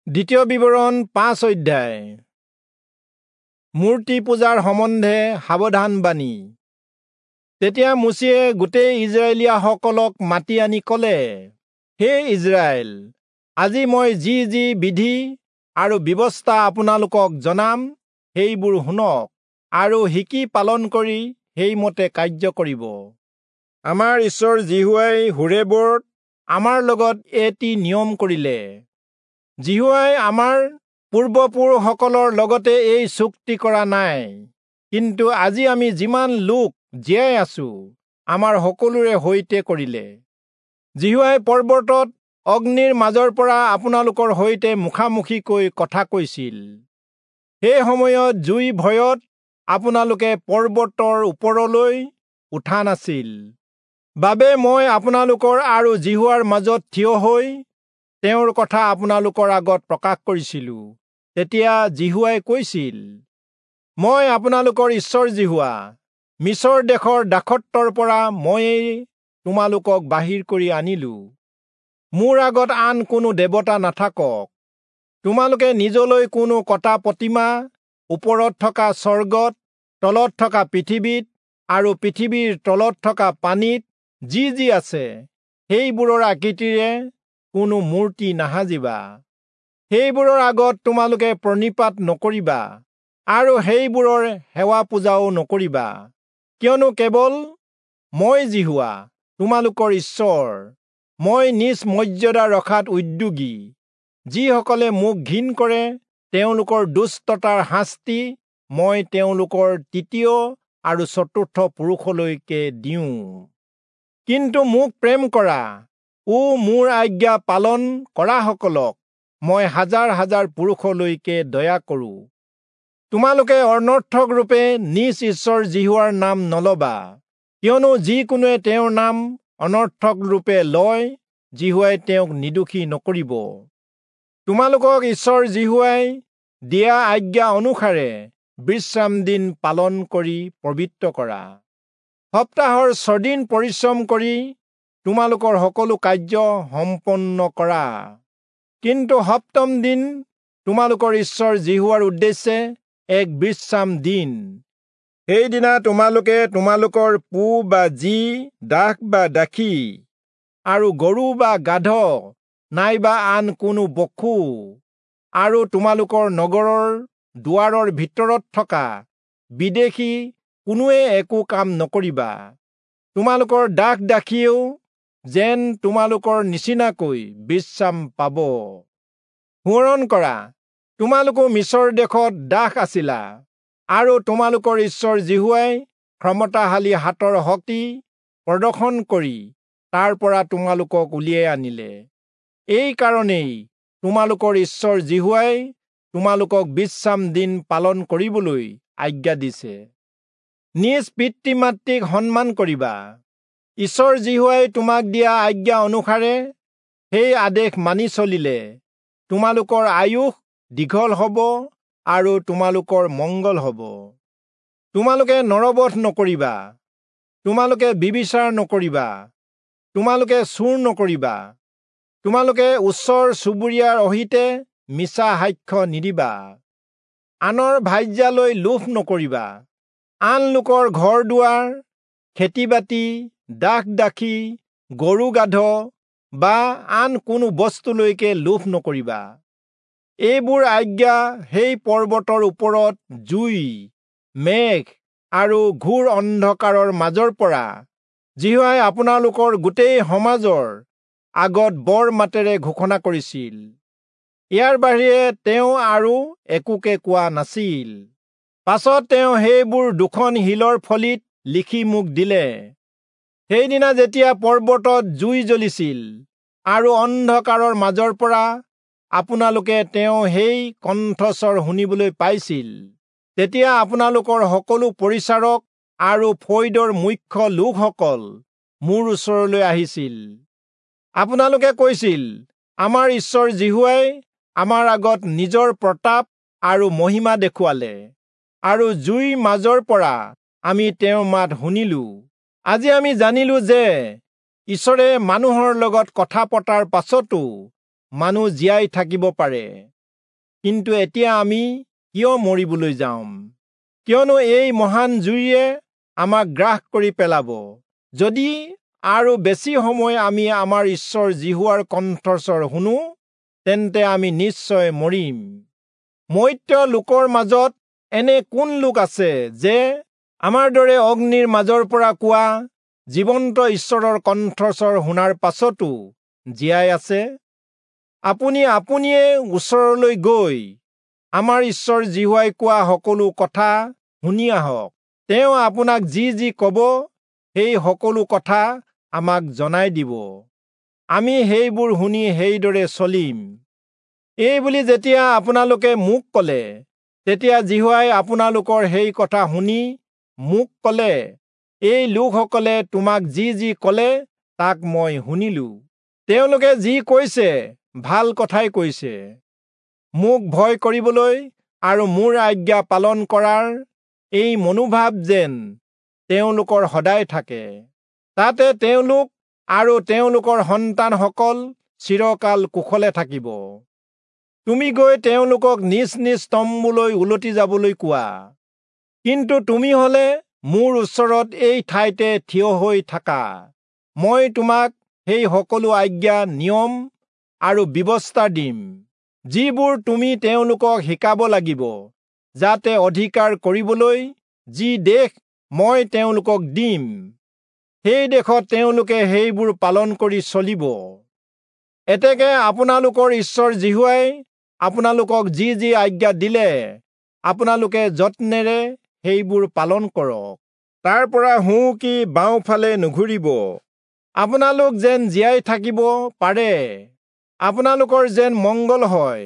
দ্বিতীয় বিৱৰণ 5 অধ্যায়। মূৰ্তি পূজাৰ সম্বন্ধে সাৱধান বাণী। তেতিয়া মোচিয়ে গোটেই ইজৰাইলীয়াসকলক মাতি আনি ক'লে, হে ইজৰাইল, আজি মই যি যি বিধি আৰু ব্যৱস্থা আপোনালোকক জনাম সেইবোৰ শুনক আৰু শিকি পালন কৰি সেইমতে কাৰ্য কৰিব। আমাৰ ঈশ্বৰ যিহোৱাই হোৰেবত আমাৰ লগত এটি নিয়ম কৰিলে। যিহোৱাই আমাৰ পূৰ্বপুৰুষসকলৰ লগতে এই চুক্তি কৰা নাই, কিন্তু আজি আমি যিমান লোক জীয়াই আছো আমাৰ সকলোৰে সৈতে কৰিলে। যিহোৱাই পৰ্বতত অগ্নিৰ মাজৰ পৰা আপোনালোকৰ সৈতে মুখামুখিকৈ কথা কৈছিল। সেই সময়ত জুই ভয়ত আপোনালোকে পৰ্বতৰ ওপৰলৈ উঠা নাছিল বাবে মই আপোনালোকৰ আৰু যিহোৱাৰ মাজত থিয় হৈ তেওঁৰ কথা আপোনালোকৰ আগত প্ৰকাশ কৰিছিলো। তেতিয়া যিহোৱাই কৈছিল, মই আপোনালোকৰ ঈশ্বৰ যিহোৱা, মিচৰ দেশৰ দাসত্বৰ পৰা ময়েই তোমালোকক বাহিৰ কৰি আনিলো। মোৰ আগত আন কোনো দেৱতা নাথাকক। তোমালোকে নিজলৈ কোনো কটা প্ৰতিমা ওপৰত থকা স্বৰ্গত, তলত থকা পৃথিৱীত আৰু পৃথিৱীৰ তলত থকা পানীত যি যি আছে সেইবোৰৰ আকৃতিৰে কোনো মূৰ্তি নাসাজিবা। সেইবোৰৰ আগত তোমালোকে প্ৰণিপাত নকৰিবা আৰু সেইবোৰৰ সেৱা পূজাও নকৰিবা, কিয়নো কেৱল মই যিহোৱা তোমালোকৰ ঈশ্বৰ, মই নিজ মৰ্যাদা ৰখাত উদ্যোগী। যিসকলে মোক ঘিণ কৰে তেওঁলোকৰ দুষ্টতাৰ শাস্তি মই তেওঁলোকৰ তৃতীয় আৰু চতুৰ্থ পুৰুষলৈকে দিওঁ। কিন্তু মোক প্ৰেম কৰা ও মোৰ আজ্ঞা পালন কৰাসকলক মই হাজাৰ হাজাৰ পুৰুষলৈকে দয়া কৰোঁ। তোমালোকে অনৰ্থক ৰূপে নিজ ঈশ্বৰ যিহোৱাৰ নাম নলবা, কিয়নো যিকোনোৱে তেওঁৰ নাম অনৰ্থক ৰূপে লয় যিহোৱাই তেওঁক নিৰ্দোষী নকৰিব। তোমালোকক ঈশ্বৰ যিহোৱাই দিয়া আজ্ঞা অনুসাৰে বিশ্ৰাম দিন পালন কৰি পবিত্ৰ কৰা। সপ্তাহৰ 6 দিন পৰিশ্ৰম কৰি তোমালোকৰ সকলো কাৰ্য সম্পন্ন কৰা, কিন্তু সপ্তম দিন তোমালোকৰ ঈশ্বৰ যিহোৱাৰ উদ্দেশ্যে এক বিশ্ৰাম দিন। সেইদিনা তোমালোকে তোমালোকৰ পো বা জী, দাস বা দাসী আৰু গৰু বা গাধ নাইবা আন কোনো পশু আৰু তোমালোকৰ নগৰৰ দুৱাৰৰ ভিতৰত থকা বিদেশী কোনোৱে একো কাম নকৰিবা। তোমালোকৰ দাস দাসীয়েও যেন তোমালোকৰ নিচিনাকৈ বিশ্ৰাম পাব। সোঁৱৰণ কৰা, তোমালোকো মিচৰ দেশত দাস আছিলা আৰু তোমালোকৰ ঈশ্বৰ যিহোৱাই ক্ষমতাশালী হাতৰ শক্তি প্ৰদৰ্শন কৰি তাৰ পৰা তোমালোকক উলিয়াই আনিলে। এই কাৰণেই তোমালোকৰ ঈশ্বৰ যিহোৱাই তোমালোকক বিশ্ৰাম দিন পালন কৰিবলৈ আজ্ঞা দিছে। নিজ পিতৃ মাতৃক সন্মান কৰিবা। ঈশ্বৰ যিহোৱাই তোমাক দিয়া আজ্ঞা অনুসাৰে সেই আদেশ মানি চলিলে তোমালোকৰ আয়ুস দীঘল হ'ব আৰু তোমালোকৰ মংগল হ'ব। তোমালোকে নৰবধ নকৰিবা, তোমালোকে ব্যভিচাৰ নকৰিবা, তোমালোকে চুৰ নকৰিবা, তোমালোকে ওচৰ চুবুৰীয়াৰ অহিতে মিছা সাক্ষ্য নিদিবা, আনৰ ভাৰ্যালৈ লোভ নকৰিবা, আন লোকৰ ঘৰ দুৱাৰ, খেতি বাতি, দাস দাসী, গৰু গাধ বা আন কোনো বস্তুলৈকে লোভ নকৰিবা। এইবোৰ আজ্ঞা সেই পৰ্বতৰ ওপৰত জুই, মেঘ আৰু ঘোৰ অন্ধকাৰৰ মাজৰ পৰা যিহোৱাই আপোনালোকৰ গোটেই সমাজৰ আগত বৰ মাতেৰে ঘোষণা কৰিছিল। ইয়াৰ বাহিৰে তেওঁ আৰু একোকে কোৱা নাছিল। পাছত তেওঁ সেইবোৰ দুখন শিলৰ ফলিত লিখি মোক দিলে। সেইদিনা যেতিয়া পৰ্বতত জুই জ্বলিছিল আৰু অন্ধকাৰৰ মাজৰ পৰা আপোনালোকে তেওঁ সেই কণ্ঠস্বৰ শুনিবলৈ পাইছিল, তেতিয়া আপোনালোকৰ সকলো পৰিচাৰক আৰু ফৈদৰ মুখ্য লোকসকল মোৰ ওচৰলৈ আহিছিল। আপোনালোকে কৈছিল, আমাৰ ঈশ্বৰ যিহোৱাই আমাৰ আগত নিজৰ প্ৰতাপ আৰু মহিমা দেখুৱালে আৰু জুইৰ মাজৰ পৰা আমি তেওঁৰ মাত শুনিলো। আজি আমি জানিলো যে ঈশ্বৰে মানুহৰ লগত কথা পতাৰ পাছতো মানুহ জীয়াই থাকিব পাৰে। কিন্তু এতিয়া আমি কিয় মৰিবলৈ যাম? কিয়নো এই মহান জুইয়ে আমাক গ্ৰাস কৰি পেলাব। যদি আৰু বেছি সময় আমি আমাৰ ঈশ্বৰ যিহোৱাৰ কণ্ঠস্বৰ শুনো, তেন্তে আমি নিশ্চয় মৰিম। মৰ্ত্য লোকৰ মাজত এনে কোন লোক আছে যে আমাৰ দৰে অগ্নিৰ মাজৰ পৰা কোৱা জীৱন্ত ঈশ্বৰৰ কণ্ঠস্বৰ শুনাৰ পাছতো জীয়াই আছে? আপুনি আপুনিয়ে ওচৰলৈ গৈ আমাৰ ঈশ্বৰ যিহোৱাই কোৱা সকলো কথা শুনি আহক। তেওঁ আপোনাক যি যি ক'ব সেই সকলো কথা আমাক জনাই দিব। আমি সেইবোৰ শুনি সেইদৰে চলিম। এই বুলি যেতিয়া আপোনালোকে মোক ক'লে, তেতিয়া যিহোৱাই আপোনালোকৰ সেই কথা শুনি মোক ক'লে, এই লোকসকলে তোমাক যি যি ক'লে তাক মই শুনিলো। তেওঁলোকে যি কৈছে ভাল কথাই কৈছে। মোক ভয় কৰিবলৈ আৰু মোৰ আজ্ঞা পালন কৰাৰ এই মনোভাৱ যেন তেওঁলোকৰ সদায় থাকে, তাতে তেওঁলোক আৰু তেওঁলোকৰ সন্তানসকল চিৰকাল কুশলে থাকিব। তুমি গৈ তেওঁলোকক নিজ নিজ তম্বুলৈ উলটি যাবলৈ কোৱা। কিন্তু তুমি হলে মোৰ ওচৰত এই ঠাইতে থিয় হৈ থাকা। মই তোমাক সেই সকলো আজ্ঞা, নিয়ম আৰু ব্যৱস্থা দিম, যিবোৰ তুমি তেওঁলোকক শিকাব লাগিব, যাতে অধিকাৰ কৰিবলৈ যি দেশ মই তেওঁলোকক দিম, সেই দেশত তেওঁলোকে সেইবোৰ পালন কৰি চলিব। এতেকে আপোনালোকৰ ঈশ্বৰ যিহোৱাই আপোনালোকক যি যি আজ্ঞা দিলে, আপোনালোকে যত্নেৰে সেইবোৰ পালন কৰক। তাৰ পৰা সোঁ কি বাওঁফালে নুঘূৰিব। আপোনালোক যেন জীয়াই থাকিব পাৰে, আপোনালোকৰ যেন মংগল হয়,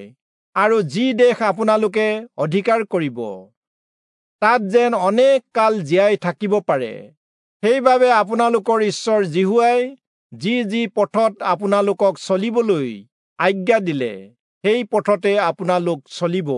আৰু যি দেশ আপোনালোকে অধিকাৰ কৰিব তাত যেন অনেক কাল জীয়াই থাকিব পাৰে, সেইবাবে আপোনালোকৰ ঈশ্বৰ যিহোৱাই যি যি পথত আপোনালোকক চলিবলৈ আজ্ঞা দিলে, সেই পথতে আপোনালোক চলিব।